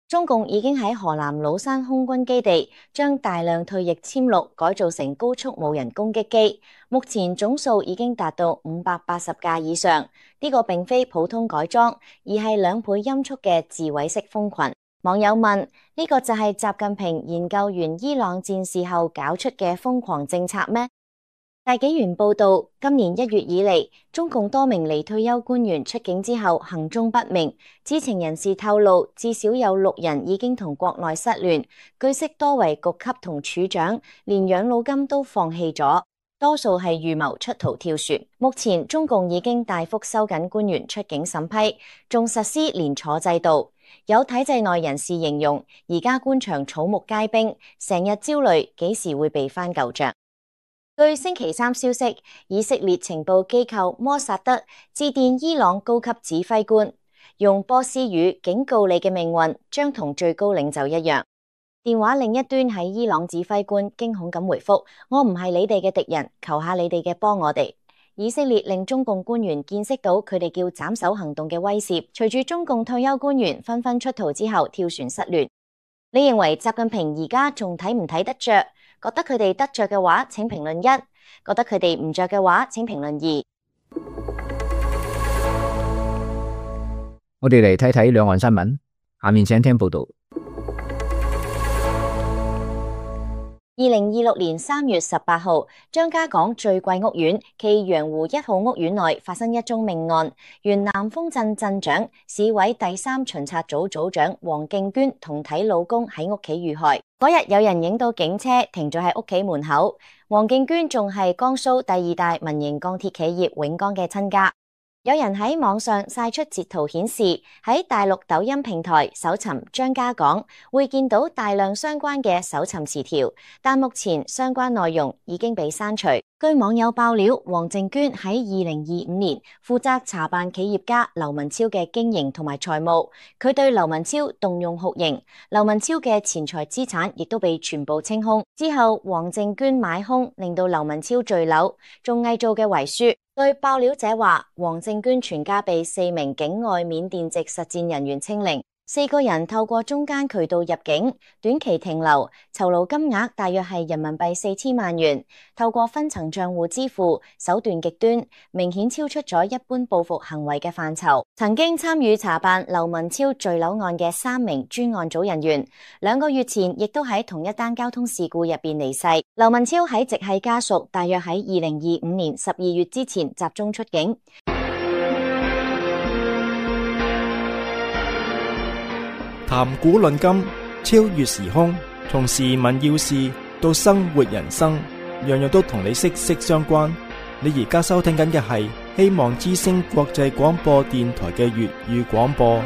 中共已經喺河南魯山空軍基地將大量退役殲六改造成高速無人攻擊機，目前總數已經達到580架以上。呢個並非普通改裝，而係2倍音速嘅自毀式蜂群。網友問：呢個就係習近平研究完伊朗戰事後搞出嘅瘋狂政策咩？大紀元報道，今年1月以嚟，中共多名離退休官員出境之後行蹤不明。知情人士透露，至少有6人已經同國內失聯，據悉多為局級同處長，連養老金都放棄咗，多數係預謀出逃跳船。目前中共已經大幅收緊官員出境審批，仲實施連坐制度。有體制內人士形容，而家官場草木皆兵，成日焦慮幾時會被翻舊賬。據星期三消息，以色列情報機構摩薩德致電伊朗高級指揮官，用波斯語警告你嘅命運將同最高領袖一樣。電話另一端喺伊朗指揮官驚恐咁回覆：我唔係你哋嘅敵人，求下你哋嘅幫我哋。以色列令中共官員見識到佢哋叫斬首行動嘅威懾。隨住中共退休官員紛紛出逃之後跳船失聯，你認為習近平而家仲睇唔睇得着？覺得佢哋得着嘅話，請評論1；覺得佢哋唔着嘅話，請評論2。我哋嚟睇睇兩岸新聞，下面請聽報道。2026年3月18號，張家港最貴屋苑暨洋湖1號屋苑內發生一宗命案，原南豐鎮鎮長、市委第3巡察組組長黃敬娟同體老公喺屋企遇害。嗰日有人影到警車停咗喺屋企門口，黃敬娟仲係江蘇第2大民營鋼鐵企業永鋼嘅親家。有人喺網上晒出截圖顯示，喺大陸抖音平台搜尋張家港，會見到大量相關嘅搜尋詞條，但目前相關內容已經被刪除。據網友爆料，黃敬娟喺2025年負責查辦企業家劉文超嘅經營同埋財務，佢對劉文超動用酷刑，劉文超嘅錢財資產亦都被全部清空。之後黃敬娟買空，令到劉文超墜樓，仲偽造嘅遺書。據爆料者話，黃敬娟全家被4名境外緬甸籍實戰人員清零， 4個人透過中間渠道入境，短期停留，酬勞金額大約係人民幣4000萬元，透過分層賬戶支付，手段極端，明顯超出咗一般報復行為嘅範疇。曾經參與查辦劉文超墜樓案嘅3名專案組人員，2個月前亦都喺同一單交通事故入邊離世。劉文超喺直系家屬大約喺2025年12月之前集中出境。談古論今，超越時空，從時聞要事到生活人生，樣樣都同你息息相關。你而家收聽緊嘅係希望之聲國際廣播電台嘅粵語廣播。